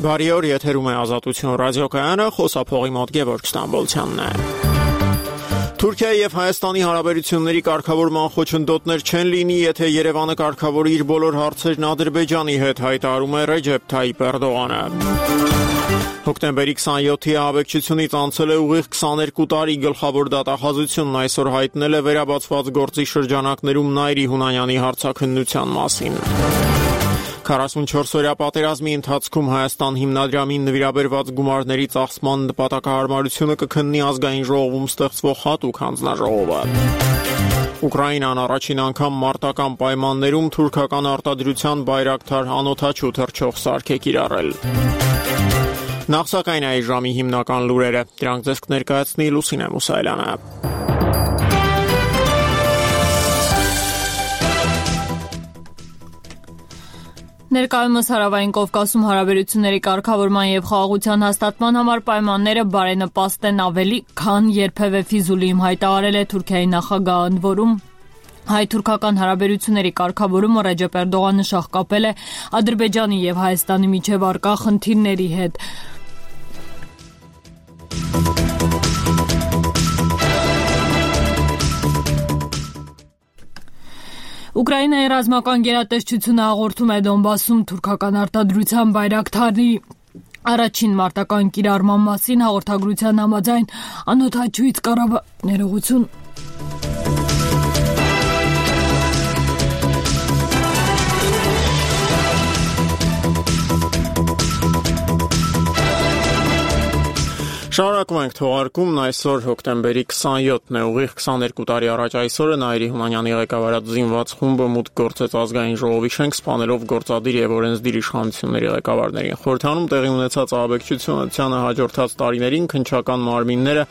Բարի օր, եթերում է Ազատություն ռադիոկայանը, խոսափողի մոտ Գևորգ Ստամբոլցյանն է։ Թուրքիայի եւ Հայաստանի հարաբերությունների կարգավորման խոչընդոտներ չեն լինի, եթե Երևանը կարգավորի իր բոլոր հարցերն Ադրբեջանի հետ, հայտարարում է Ռեջեփ Թայիփ Էրդողանը։ Հոկտեմբերի 27-ի ահաբեկչությունից անցել է ուղիղ 22 տարի, գլխավոր դատախազությունն այսօր հայտնել է վերաբացված գործի շրջանակներում Նայիրի Հունանյանի հարցաքննության մասին։ 44-օրյա պատերազմի ընթացքում Հայաստան հիմնադրամին նվիրաբերված գումարների ծախսման նպատակահարմարությունը կքննի ազգային ժողովում ստեղծվող հատուկ հանձնաժողովը։ Ուկրաինան առաջին անգամ մարտական պայմաններում թուրքական արտադրության բայրակթար անօդաչու թռչող սարք է կիրառել։ Նախ սակայն այս ժամի հիմնական լուրերը, դրանք ձեզ կներկայացնի Լուսինե Մուսայելյանը։ Ներկայումս Հարավային Կովկասում հարաբերությունների կարգավորման եւ խաղաղության հաստատման համար պայմանները բարենպաստ են ավելի, քան երբևէ Ֆիզուլիում հայտարարել է Թուրքիայի նախագահը, ընդ որում հայ-թուրքական հարաբերությունների կարգավորումը Ռեջեփ Էրդողանը շահկապել է Ադրբեջանի եւ Հայաստանի միջև առկա խնդիրների հետ։ Ուկրաինայի ռազմական գերատեսչությունը հաղորդում է Դոնբասում թուրքական արտադրության բայրակթարի առաջին մարտական կիրառման մասին, հաղորդագրության համաձայն անօդաչուից ներողություն։ Շարունակում ենք թողարկումն, այսօր հոկտեմբերի 27-ն է, ուղիղ 22 տարի առաջ այսօրը Նայիրի Հունանյանի ղեկավարած զինված խումբը մուտք գործեց ազգային ժողովի շենք, սպանելով գործադիր եւ օրենսդիր իշխանությունների ղեկավարներին։ Խորհրդանում տեղի ունեցած ահաբեկչությանը հաջորդած տարիներին քննչական մարմինները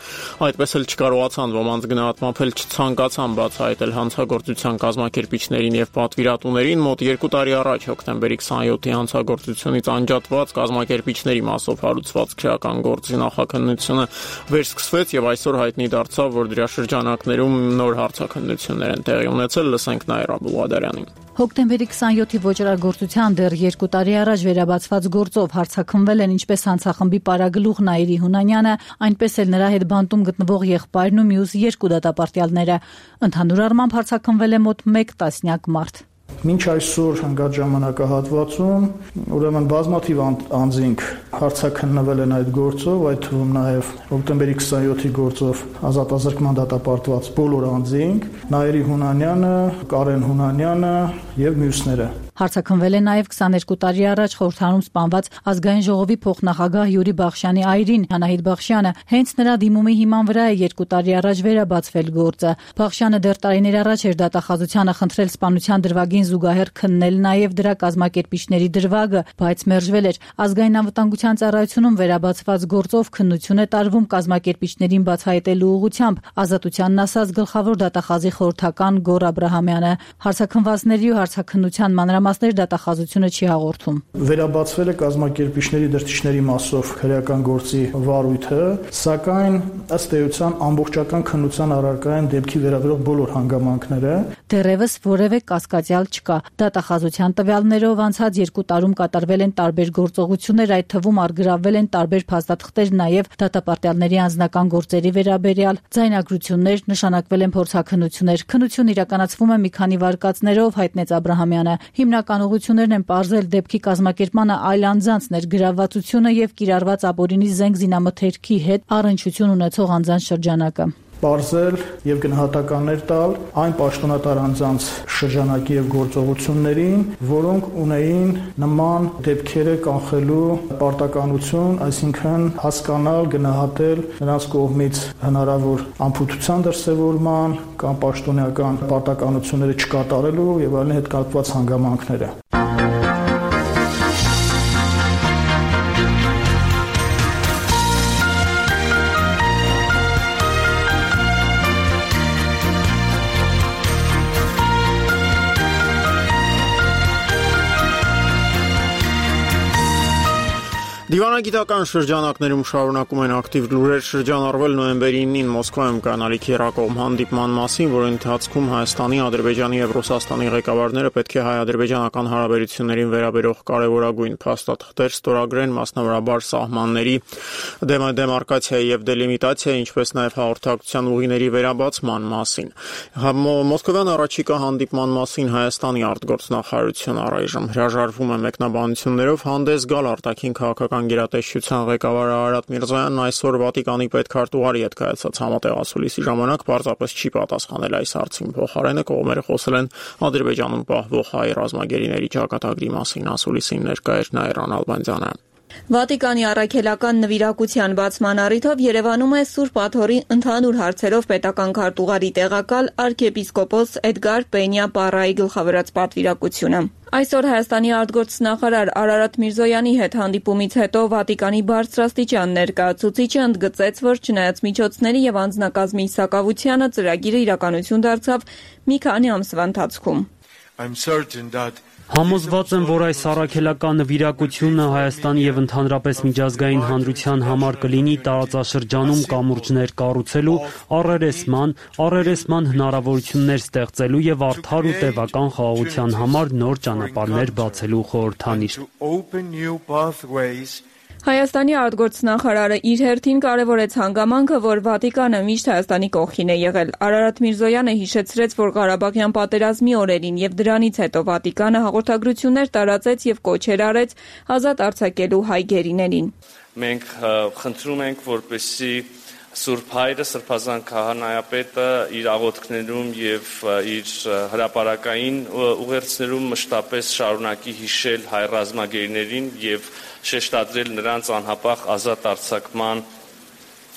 այդպես էլ չկարողացան ոմանց գնահատմամբ էլ չցանկացան բացահայտել հանցագործության կազմակերպիչներին եւ պատվիրատուներին։ Մոտ 2 տարի առաջ հոկտեմբերի 27-ի հանցագործությունից անջատված կազմակերպիչների մասով հարուցված քրեական գործի նախաքննությունը վերսկսվեց եւ այսօր հայտնի դարձավ, որ դրա շրջանակներում նոր հարցաքննություններ են տեղի ունեցել, լսենք Նաիրա Բուղադարյանին։ Հոկտեմբերի 27-ի ոճրագործության դեռ 2 տարի առաջ վերաբացված գործով հարցաքննվել են ինչպես հանցախմբի պարագլուխ Նայիրի Հունանյանը, այնպես էլ նրա հետ բանտում գտնվող եղբայրն ու մյուս 2 դատապարտյալները։ Ընդհանուր առմամբ հարցաքննվել է մոտ 1 տասնյակ մարդ։ Մինչ այսօր հնգած ժամանակահատվածում ուրեմն բազմաթիվ անձինք հարցաքննվել են այդ գործով, այդ թվում նաև հոկտեմբերի 27-ի գործով ազատազրկման դատապարտված բոլոր անձինք, Նայիրի Հունանյանը, Կարեն Հունանյանը եւ մյուսները։ Հարցաքննվել է նաև 22 տարի առաջ խորհրդանում սպանված ազգային ժողովի փոխնախագահ Յուրի Բախշյանի այրին Անահիտ Բախշյանը։ Հենց նրա դիմումի հիման վրա է 2 տարի առաջ վերաբացվել գործը։ Բախշյանը դեռ տարիներ առաջ էր դատախազությանը խնդրել սպանության դրվագին զուգահեռ քննել նաև դրա կազմակերպիչների դրվագը, բայց մերժվել էր։ Ազգային անվտանգության ծառայությունում վերաբացված գործով քննություն է տարվում կազմակերպիչներին բացահայտելու ուղղությամբ, ազատությանն ասաց գլխավոր դատախազի խորհրդական Գոր Աբրահամյանը։ Հարցաքննվածների ու հարցաքննության մանրամասներ դատախազությունը չի հաղորդում։ Վերաբացվել է կազմակերպիչների դրդիչների մասով քրեական գործի վարույթը, սակայն ըստ էության ամբողջական քննության առարկա են դեպքի վերաբերող բոլոր հանգամանքները։ Դեռևս որևէ կասկածյալ չկա։ Դատախազության տվյալներով անցած 2 տարում կատարվել են տարբեր գործողություններ, այդ թվում առգրավվել են տարբեր փաստաթղթեր, նաև դատապարտյալների անձնական գործերի վերաբերյալ ձայնագրություններ, նշանակվել են փորձաքննություններ։ Քննությունը իրականացվում է մի քանի վարկածներով, հայտնեց Աբրահամյանը։ Հիմնական ուղղություններն են պարզել դեպքի կազմակերպմանը այլ անձանց ներգրավվածությունը եւ կիրառված ապօրինի զենք զինամթերքի հետ առնչություն ունեցող անձանց շրջանակը։ Պարզել եւ գնահատականներ տալ այն պաշտոնատար անձանց շրջանակի եւ գործողություններին, որոնք ունեին նման դեպքերը կանխելու պարտականություն, այսինքն հասկանալ, գնահատել նրանց կողմից հնարավոր անփութության դրսևորման կամ պաշտոնական պարտականությունները չկատարելու եւ այլն հետ կապված հանգամանքները։ Դիվանագիտական շրջանակներում շարունակում են ակտիվ լուրեր շրջանառվել նոյեմբերի 9-ին Մոսկվայում կանալիք երակողմ հանդիպման մասին, որի ընթացքում Հայաստանի, Ադրբեջանի եւ Ռուսաստանի ղեկավարները պետք է հայ-ադրբեջանական հարաբերություններին վերաբերող կարևորագույն փաստաթղթեր ստորագրեն, մասնավորաբար սահմանների դեմարկացիայի եւ դելիմիտացիայի, ինչպես նաեւ հաղորդակցության ուղիների վերաբացման մասին։ Մոսկովյան առաջիկա հանդիպման մասին Հայաստանի արտգործնախարարությունը առայժմ հրաժարվում է մեկնաբանություններով հանդես գալ արտաքին քաղաքական գերատեսչության ղեկավար Արարատ Միրզոյանն այսօր Վատիկանի պետքարտուղարի հետ կայացած համատեղ ասուլիսի ժամանակ պարզապես չի պատասխանել այս հարցին։ Փոխարենը կողմերը խոսել են Ադրբեջանում պահվող հայ ռազմագերիների ճակատագրի մասին։ Ասուլիսին ներկա էր Նաիրան Ալբանդյանը։ Վատիկանի առաքելական նվիրակության բացման առիթով Երևանում է Սուրբ Աթոռի ընդհանուր հարցերով պետական քարտուղարի տեղակալ arczepiskopos Էդգար Պենյա Պարայի գլխավորած պատվիրակությունը։ Այսօր Հայաստանի արտգործնախարար Արարատ Միրզոյանի հետ հանդիպումից հետո Վատիկանի բարձրաստիճան ներկայացուցիչը ընդգծեց, որ չնայած միջոցների եւ անձնակազմի սակավությանը ծրագիրը իրականություն դարձավ մի քանի ամսվա ընթացքում։ Համոզված եմ, որ այս առաքելական նվիրակությունը Հայաստանի եւ ընդհանրապես միջազգային հանրության համար կլինի տարածաշրջանում կամուրջներ կառուցելու, առերեսման հնարավորություններ ստեղծելու եւ արդար ու տևական խաղաղության համար նոր ճանապարհներ բացելու խորհրդանիշ։ Հայաստանի արտգործնախարարը իր հերթին կարևորեց հանգամանքը, որ Վատիկանը միշտ Հայաստանի կողքին է եղել։ Արարատ Միրզոյանը հիշեցրեց, որ Ղարաբաղյան պատերազմի օրերին եւ դրանից հետո Վատիկանը հաղորդագրություններ տարածեց եւ կոչեր արեց ազատ արձակելու հայ գերիներին։ Մենք խնդրում ենք, որպեսզի Սուրբ Հայրը, Սրբազան քահանայապետը իր աղոթքներում եւ իր հրապարակային ուղերձներում մշտապես շարունակի հիշել հայ ռազմագերիներին եւ շեշտադրել նրանց անհապաղ ազատ արձակման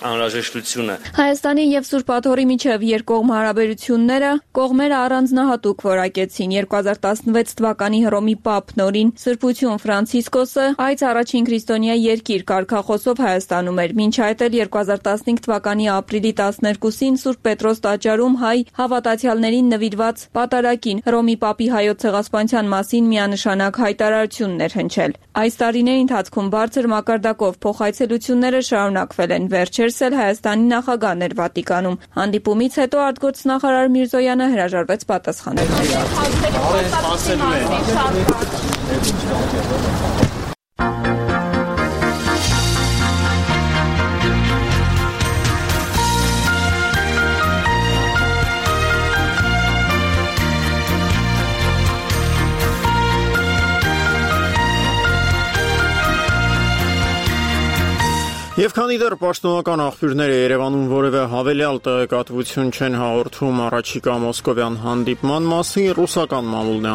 անհրաժեշտությունը։ Հայաստանի եւ Սուրբ Աթոռի միջև երկկողմ հարաբերությունները կողմերը առանձնահատուկ որակեցին 2016 թվականի Հռոմի Պապ Նորին Սրբություն Ֆրանցիսկոսը այս առաջին քրիստոնյա երկիր կարգախոսով Հայաստանում էր։ Մինչ այդ էլ 2015 թվականի ապրիլի 12-ին Սուրբ Պետրոս տաճարում հայ հավատացյալներին նվիրված պատարագին Հռոմի Պապի հայոց ցեղասպանության մասին միանշանակ հայտարարություններ հնչել։ Այս տարիների ընթացքում բարձր մակարդակով փոխայցելությունները շարունակվել են։ Վերջերս էլ Հայաստանի նախագահն էր Վատիկանում։ Հանդիպումից հետո արտգործնախարար Միրզոյանը հրաժարվեց պատասխանել։ Եվ քանի դեռ պաշտոնական աղբյուրները Երևանում որևէ հավելյալ տեղեկատվություն չեն հաղորդում առաջիկա մոսկովյան հանդիպման մասին, ռուսական մամուլն է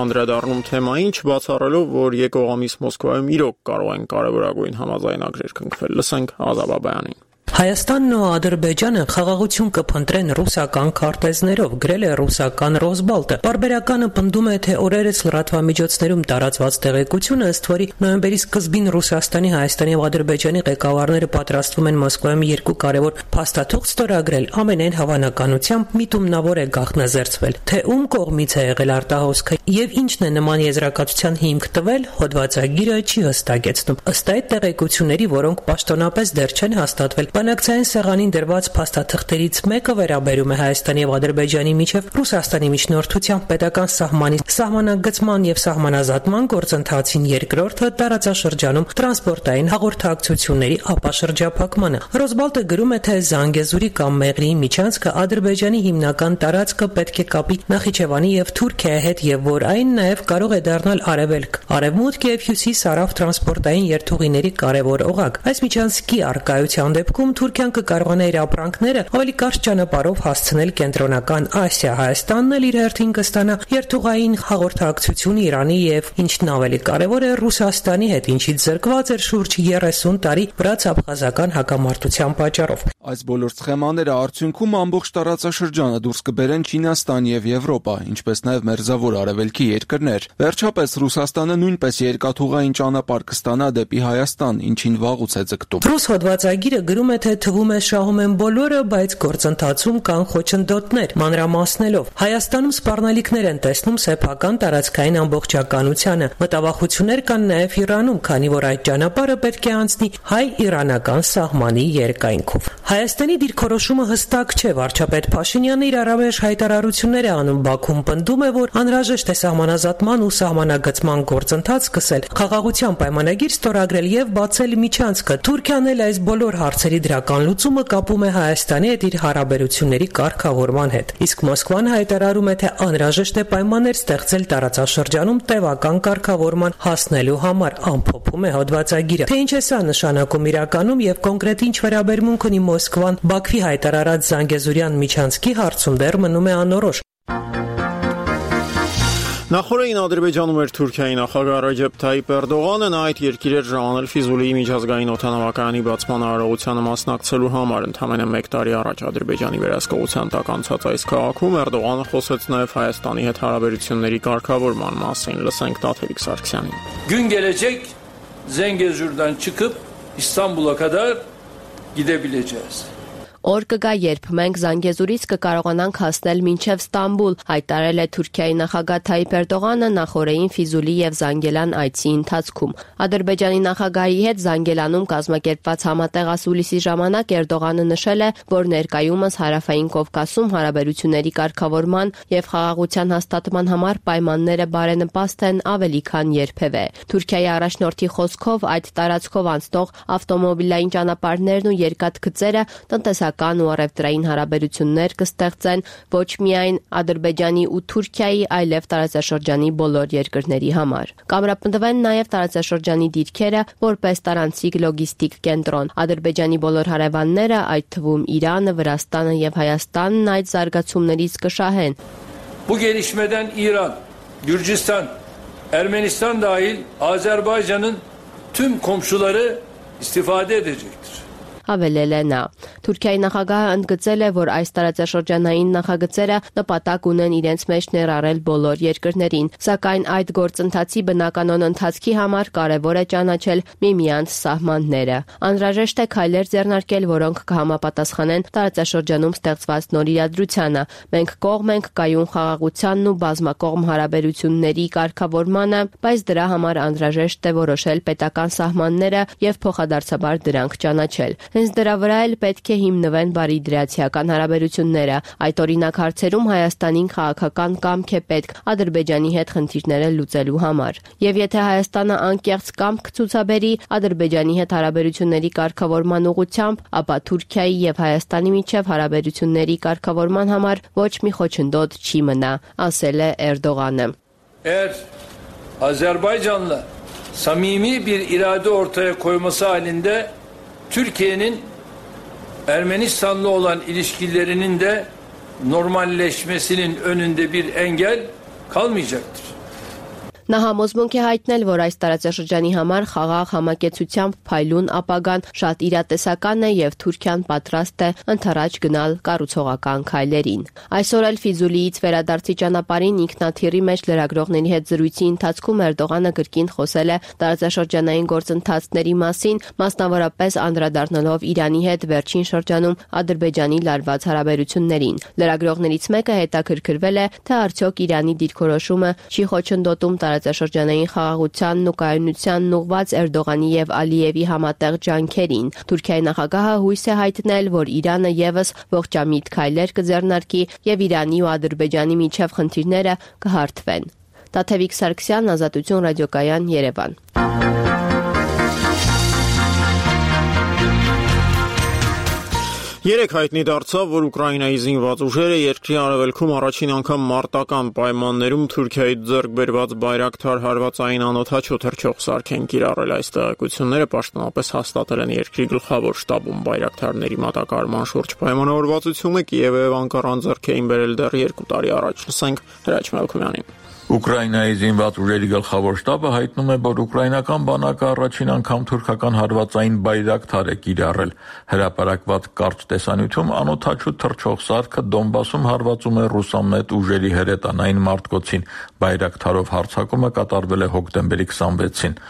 անդրադառնում թեմային, չբացառելով, որ եկող ամիս Մոսկվայում իրոք կարող են կարևորագույն համաձայնագրեր կնքվել։ Լսենք Ազատ Բաբայանին։ Հայաստանն ու Ադրբեջանը խաղաղություն կփնտրեն ռուսական քարտեզներով, գրել է ռուսական Ռոսբալտը։ Բարբերականը պնդում է, թե օրերս լրատվամիջոցներում տարածված տեղեկությունը, ըստ որի նոյեմբերի սկզբին Ռուսաստանի, Հայաստանի եւ Ադրբեջանի ղեկավարները պատրաստվում են Մոսկվայում երկու կարևոր փաստաթուղթ ստորագրել, ամենայն հավանականությամբ միտումնավոր է գաղտնազերծվել։ Թե ում կողմից է եղել արտահոսքը եւ ինչն է նման եզրակացության հիմք տվել, հոդվածագիրը չի հստակեցնում։ Ըստ այդ տեղեկությունների, որոնք պաշտոնապես դեռ չեն հաստատվել, բանակցային սեղանին դրված փաստաթղթերից մեկը վերաբերում է Հայաստանի եւ Ադրբեջանի միջև Ռուսաստանի միջնորդությամբ պետական սահմանի սահմանագծման եւ սահմանազատման գործընթացին, երկրորդը տարածաշրջանում տրանսպորտային հաղորդակցությունների ապաշրջափակմանը։ Ռոսբալտը գրում է, թե Զանգեզուրի կամ Մեղրիի միջանցքը Ադրբեջանի հիմնական տարածքը պետք է կապի Նախիջևանի եւ Թուրքիայի հետ եւ որ այն նաեւ կարող է դառնալ արևելք, արևմուտք եւ հյուսիս հարավ տրանսպորտային երթուղիների կարևոր օղակ։ Այս միջանցքի առկայության դեպքում Թուրքիան կկարողանա իր ապրանքները ավելի կարճ ճանապարհով հասցնել կենտրոնական Ասիա։ Հայաստանն էլ իր հերթին կստանա երթուղային հաղորդակցություն Իրանի եւ ինչն ավելի կարեւոր է Ռուսաստանի հետ, ինչից զրկված էր շուրջ 30 տարի վրաց-աբխազական հակամարտության պատճառով։ Այս բոլոր սխեմաները արդյունքում ամբողջ տարածաշրջանը դուրս կբերեն Չինաստան եւ Եվրոպա, ինչպես նաեւ Մերձավոր Արևելքի երկրներ։ Վերջապես Ռուսաստանը նույնպես երկաթուղային ճանապարհ կստանա դեպի Հայաստան, ինչին վաղուց է ձգտում։ Ռուս հոդվածագիրը գրում է, թե թվում է շահում են բոլորը, բայց գործընթացում կան խոչընդոտներ, մանրամասնելով։ Հայաստանում սպառնալիքներ են տեսնում սեփական տարածքային ամբողջականությանը։ Մտավախություններ կան նաեւ Իրանում, քանի որ այդ ճանապարհը պետք է անցնի հայ-իրանական սահմանի երկայնքով։ Հայաստանի դիրքորոշումը հստակ չէ, վարչապետ Փաշինյանը իր առավեշ հայտարարություններ է անում Բաքվում, պնդում է, որ անհրաժեշտ է սահմանազատման ու սահմանագծման գործընթաց սկսել, խաղաղության պայմանագիր ստորագրել եւ բացել միջանցքը։ Թուրքիան էլ այս բոլոր հարցերի դրական լուծումը կապում է Հայաստանի հետ իր հարաբերությունների կարգավորման հետ։ Իսկ Մոսկվան հայտարարում է, թե անհրաժեշտ է պայմաններ ստեղծել տարածաշրջանում տևական կարգավորման հասնելու համար, ամփոփում է հոդվածագիրը։ Թե ինչ է սա նշանակում իրականում եւ կոնկրետ ինչ վերաբերմունք ունի Մոսկվան Բաքվի հայտարարած Զանգեզուրյան միջանցքի հարցում դեռ մնում է անորոշ։ Նախորդին Ադրբեջանում էր Թուրքիայի նախագահ Ռեջեփ Թայիփ Էրդողանը, նա այդ երկիր էր ժամանել Ֆիզուլիի միջազգային օդանավակայանի բացման արարողությանը մասնակցելու համար։ Ընդամենը 1 տարի առաջ Ադրբեջանի վերահսկողության տակ անցած այս քաղաքում Էրդողանը խոսեց նաև Հայաստանի հետ հարաբերությունների կարգավորման մասին։ Լսենք Տաթևիկ Սարգսյանին։ Gün gelecek Zengezur'dan çıkıp İstanbul'a kadar gidebileceğiz. Օր կգա, երբ մենք Զանգեզուրից կկարողանանք հասնել մինչև Ստամբուլ, հայտարարել է Թուրքիայի նախագահ Թայիփ Էրդողանը նախորդին Ֆիզուլի եւ Զանգելան այցի ընթացքում։ Ադրբեջանի նախագահի հետ Զանգելանում կազմակերպված համատեղ ասուլիսի ժամանակ Էրդողանը նշել է, որ ներկայումս Հարավային Կովկասում հարաբերությունների կարգավորման եւ խաղաղության հաստատման համար պայմանները բարենպաստ են ավելի քան երբևէ։ Թուրքիայի առաջնորդի խոսքով այդ տարածքով անցնող ավտոմոբիլային ճանապարհներն ու երկաթգծերը տնտեսական ու առևտրային հարաբերություններ կստեղծեն ոչ միայն Ադրբեջանի ու Թուրքիայի, այլև տարածաշրջանի բոլոր երկրների համար։ Կամրապնդվեն նաև տարածաշրջանի դիրքերը որպես տարանցիկ լոգիստիկ կենտրոն։ Ադրբեջանի բոլոր հարևանները, այդ թվում Իրանը, Վրաստանը եւ Հայաստանն այդ զարգացումներից կշահեն։ Bu gelişmeden İran, Gürcistan, Ermenistan dahil Azerbaycan'ın tüm komşuları istifade edecektir. Հավելել է նա։ Թուրքիայի նախագահը ընդգծել է, որ այս տարածաշրջանային նախագծերը նպատակ ունեն իրենց մեջ ներառել բոլոր երկրներին, սակայն այդ գործընթացի բնականon ընթացքի համար կարևոր է ճանաչել միմյանց սահմանները։ Անհրաժեշտ է քայլեր ձեռնարկել, որոնք կհամապատասխանեն տարածաշրջանում ստեղծված նոր իրադրությանը։ Մենք կողմ ենք կայուն խաղաղությանն ու բազմակողմ հարաբերությունների կարգավորմանը, բայց դրա համար անհրաժեշտ է որոշել պետական սահմանները եւ փոխադարձաբար դրանք ճանաչել։ Հենց դրա վրա էլ պետք է հիմնվեն բարիդրացիական հարաբերությունները։ Այդ օրինակ հարցերում Հայաստանին քաղաքական կամք է պետք Ադրբեջանի հետ խնդիրները լուծելու համար։ Եվ եթե Հայաստանը անկեղծ կամք ցուցաբերի Ադրբեջանի հետ հարաբերությունների կարգավորման ուղղությամբ, ապա Թուրքիայի եւ Հայաստանի միջև հարաբերությունների կարգավորման համար ոչ մի խոչընդոտ չի մնա, ասել է Էրդողանը։ Eğer Azerbaycan'la samimi bir irade ortaya koyması halinde Türkiye'nin Ermenistan'la olan ilişkilerinin de normalleşmesinin önünde bir engel kalmayacaktır. Նա համոզմունք է հայտնել, որ այս տարածաշրջանի համար խաղաղ համակեցությամբ փայլուն ապագան շատ իրատեսական է եւ Թուրքիան պատրաստ է ընդառաջ գնալ կառուցողական քայլերին։ Այսօր էլ Ֆիզուլիից վերադարձի ճանապարհին ինքնաթիռի մեջ լրագրողների հետ զրույցի ընթացքում Էրդողանը կրկին խոսել է տարածաշրջանային գործընթացների մասին, մասնավորապես անդրադառնալով Իրանի հետ վերջին շրջանում Ադրբեջանի լարված հարաբերություններին։ Լրագրողներից մեկը հետաքրքրվել է, թե արդյոք Իրանի դիրքորոշումը չի խոչընդոտում տարածաշրջանային խաղաղությանն ու կայունությանն ուղղված Էրդողանի եւ Ալիևի համատեղ ջանքերին։ Թուրքիայի նախագահը հույս է հայտնել, որ Իրանը եւս ողջամիտ քայլեր կձեռնարկի եւ Իրանի ու Ադրբեջանի միջև խնդիրները կհարթվեն։ Տաթևիկ Սարգսյան, Ազատություն ռադիոկայան, Երևան։ Երեք հայտնի դարձավ, որ Ուկրաինայի զինված ուժերը երկրի արևելքում առաջին անգամ մարտական պայմաններում Թուրքիայի ձեռք բերված Բայրակթար հարվածային անօդաչու թռչող սարք են կիրառել։ Այս տեղեկությունները պաշտոնապես հաստատել են երկրի գլխավոր շտաբում Բայրակթարների մատակարարման շուրջ պայմանավորվածությունը Կիևը եւ Անկարան ձեռք էին բերել դեռ 2 տարի առաջ։ Լսենք Հրաչ Մելքումյանին։ Ուկրաինայի զինված ուժերի գլխավոր շտաբը հայտնում է, որ ուկրաինական բանակը առաջին անգամ թուրքական հարվածային բայրակթար է կիրառել։ Հրապարակված կարճ տեսանյութում անօդաչու թռչող սարքը Դոնբասում հարվածում է ռուսամետ ուժերի հրետանային մարտկոցին։ Բայրակթարով հարձակումը կատարվել է հոկտեմբերի 26-ին։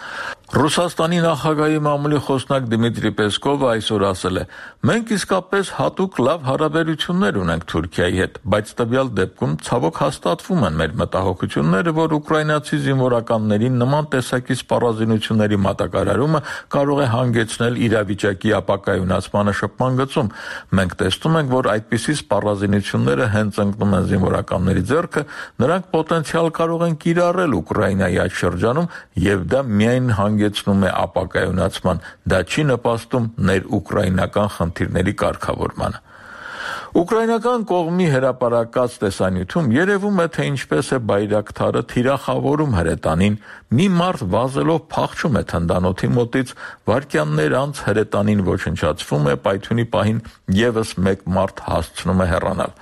Ռուսաստանի նախագահի մամուլի խոսնակ Դմիտրի Պեսկովը այսօր ասել է. «Մենք իսկապես հատուկ լավ հարաբերություններ ունենք Թուրքիայի հետ, բայց տվյալ դեպքում ցավոք հաստատվում են մեր մտահոգությունները, որ ուկրաինացի զինվորականներին նման տեսակի սպառազինությունների մատակարարումը կարող է հանգեցնել իրավիճակի ապակայունացմանը շփման գծում։ Մենք տեսնում ենք, որ այդպիսի սպառազինությունները հենց ընկնում են զինվորականների ձեռքը, նրանք պոտենցիալ կարող են կիրառել Ուկրաինայի այդ շրջանում եւ դա միայն հանգեցնում է ապակայունացման, դա չի նպաստում ներուկրաինական խնդիրների կարգավորմանը»։ Ուկրաինական կողմի հրապարակած տեսանյութում երևում է, թե ինչպես է բայրակթարը թիրախավորում հրետանին, մի մարդ վազելով փախչում է թնդանոթի մոտից, վայրկյաններ անց հրետանին ոչնչացվում է, պայթյունի պահին եւս մեկ մարդ հասցնում է հեռանալ։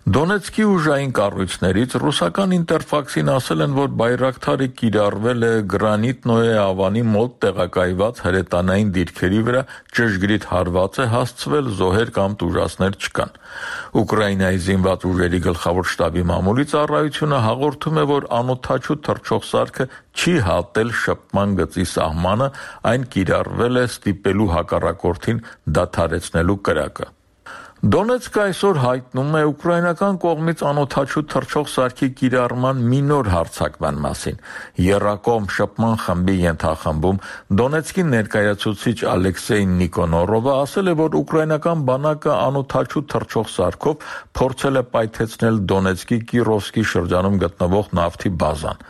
Դոնեցկի ուժային կառույցներից ռուսական Ինտերֆաքսին ասել են, որ բայրակթարը կիրառվել է Գրանիտնոյե ավանի մոտ տեղակայված հրետանային դիրքերի վրա, ճշգրիտ հարված է հասցվել, զոհեր կամ տուժածներ չկան։ Ուկրաինայի զինված ուժերի գլխավոր շտաբի մամուլի ծառայությունը հաղորդում է, որ անօդաչու թռչող սարքը չի հատել շփման գծի սահմանը, այն կիրառվել է ստիպելու հակառակորդին դադարեցնելու կրակը։ Դոնեցկը այսօր հայտնում է ուկրաինական կողմից անօդաչու թռչող սարքի կիրառման մի նոր հարձակման մասին։ Եռակողմ շփման խմբի ենթախմբում Դոնեցկի ներկայացուցիչ Ալեքսեյ Նիկոնորովը ասել է, որ ուկրաինական բանակը անօդաչու թռչող սարքով փորձել է պայթեցնել Դոնեցկի Կիրովսկի շրջանում գտնվող նավթի բազան։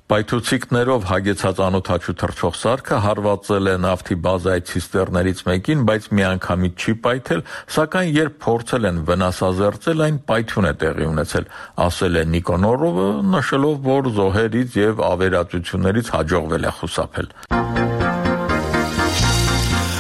Պայթուցիկներով հագեցած անօդաչու թռչող սարքը հարվածել է նավթի բազայի ցիստերներից մեկին, բայց միանգամից չի պայթել, սակայն երբ փորձել են վնասազերծել, այն պայթյուն է տեղի ունեցել, ասել է Նիկոնորովը, նշելով, որ զոհերից եւ ավերածություններից հաջողվել է խուսափել։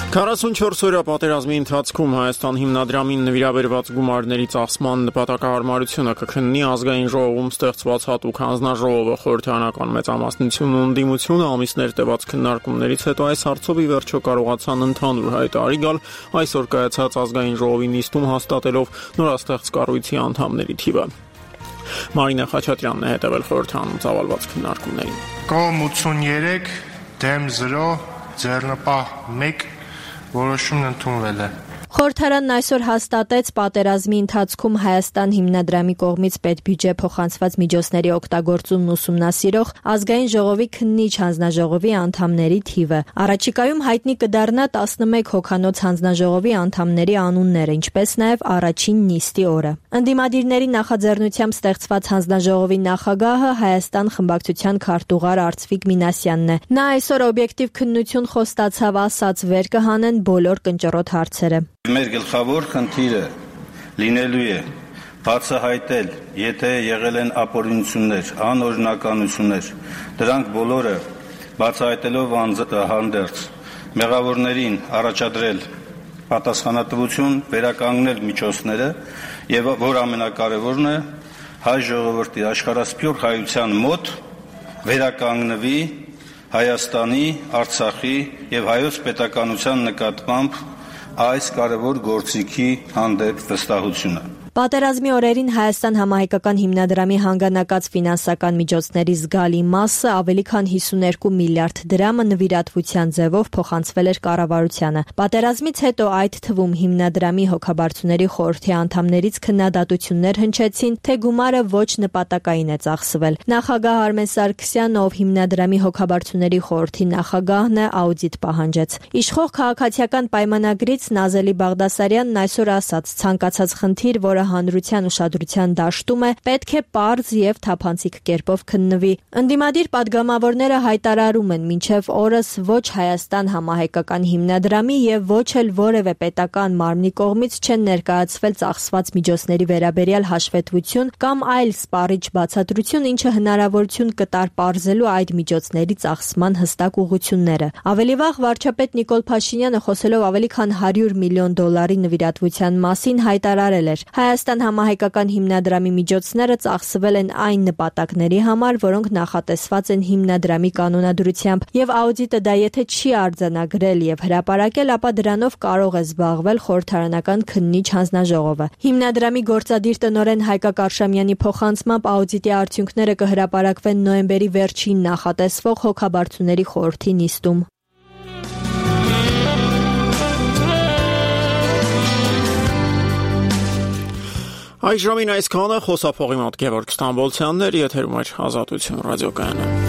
44-օրյա պատերազմի ընթացքում Հայաստան հիմնադրամին նվիրաբերված գումարների ծախսման նպատակահարմարությունը կքննի ազգային ժողովում ստեղծված հատուկ հանձնաժողովը։ Խորհրդարանական մեծամասնությունն ու ընդդիմությունը ամիսներ տևած քննարկումներից հետո այս հարցով ի վերջո կարողացան ընդհանուր հայտարարի գալ այսօր կայացած ազգային ժողովի նիստում հաստատելով նորաստեղծ կառույցի անդամների թիվը։ Մարինա Խաչատրյանն է հետևել խորհրդարանում ծավալված քննարկումներին։ Կողմ 83, դեմ 0, ձեռնպահ 1 որոշումն ընդունվել է։ Խորհրդարանն այսօր հաստատեց պատերազմի ընթացքում Հայաստան հիմնադրամի կողմից պետբյուջե փոխանցված միջոցների օգտագործումն ուսումնասիրող ազգային ժողովի քննիչ հանձնաժողովի անդամների թիվը։ Առաջիկայում հայտնի կդառնա 11 հոգանոց հանձնաժողովի անդամների անունները, ինչպես նաև առաջին նիստի օրը։ Ընդդիմադիրների նախաձեռնությամբ ստեղծված հանձնաժողովի նախագահը Հայաստան խմբակցության քարտուղար Արծվիկ Մինասյանն է։ Նա այսօր օբյեկտիվ քննություն խոստացավ ասած վեր կհանեն բոլոր կնճռոտ հարցերը։ Մեր գլխավոր խնդիրը լինելու է բացահայտել, եթե եղել են ապօրինություններ, անօրինականություններ, դրանք բոլորը բացահայտելով հանդերձ մեղավորներին առաջադրել պատասխանատվություն, վերականգնել միջոցները եւ որ ամենակարևորն է հայ ժողովրդի աշխարհասփյուռ հայության մոտ վերականգնվի Հայաստանի, Արցախի եւ հայոց պետականության նկատմամբ այս կարևոր գործիքի հանդեպ վստահությունը։ Պատերազմի օրերին Հայաստան համահայկական հիմնադրամի հանգանակած ֆինանսական միջոցների զգալի մասը ավելի քան 52 միլիարդ դրամը նվիրատվության ձևով փոխանցվել էր կառավարությանը։ Պատերազմից հետո այդ թվում հիմնադրամի հոգաբարձուների խորհրդի անդամներից քննադատություններ հնչեցին, թե գումարը ոչ նպատակային է ծախսվել։ Նախագահ Արմեն Սարգսյանն, ով հիմնադրամի հոգաբարձուների խորհրդի նախագահն է, աուդիտ պահանջեց։ Իշխող քաղաքացիական պայմանագրից Նազելի Բաղդասարյանն այսօր ասաց. ցանկացած խնդիր, որը հանրության ուշադրության դաշտում է, պետք է պարզ եւ թափանցիկ կերպով քննվի։ Ընդդիմադիր падգամավորները հայտարարում են, մինչեւ օրս ոչ Հայաստան համահայկական հիմնադրամի եւ ոչ էլ որևէ պետական մարմնի կողմից չեն ներկայացվել ծախսված միջոցների վերաբերյալ հաշվետվություն կամ այլ սպառիչ բացատրություն, ինչը հնարավորություն կտար պարզելու այդ միջոցների ծախսման հստակ ուղղությունները։ Ավելի վաղ վարչապետ Նիկոլ Փաշինյանը խոսելով ավելի քան $100 միլիոն նվիրատվության մասին հայտարարել էր. Հայաստան համահայկական հիմնադրամի միջոցները ծախսվել են այն նպատակների համար, որոնք նախատեսված են հիմնադրամի կանոնադրությամբ, եւ աուդիտը դա եթե չի արձանագրել եւ հրապարակել, ապա դրանով կարող է զբաղվել խորհրդարանական քննիչ հանձնաժողովը։ Հիմնադրամի գործադիր տնօրեն Հայկակ Արշամյանի փոխանցմամբ աուդիտի արդյունքները կհրապարակվեն նոյեմբերի վերջին նախատեսվող հոգաբարձուների խորհրդի նիստում։ Այս ժամին այսքանը, խոսափողի մոտ Գևորգ Ստամբոլցյանն էր, եթերում էր Ազատություն ռադիոկայանը։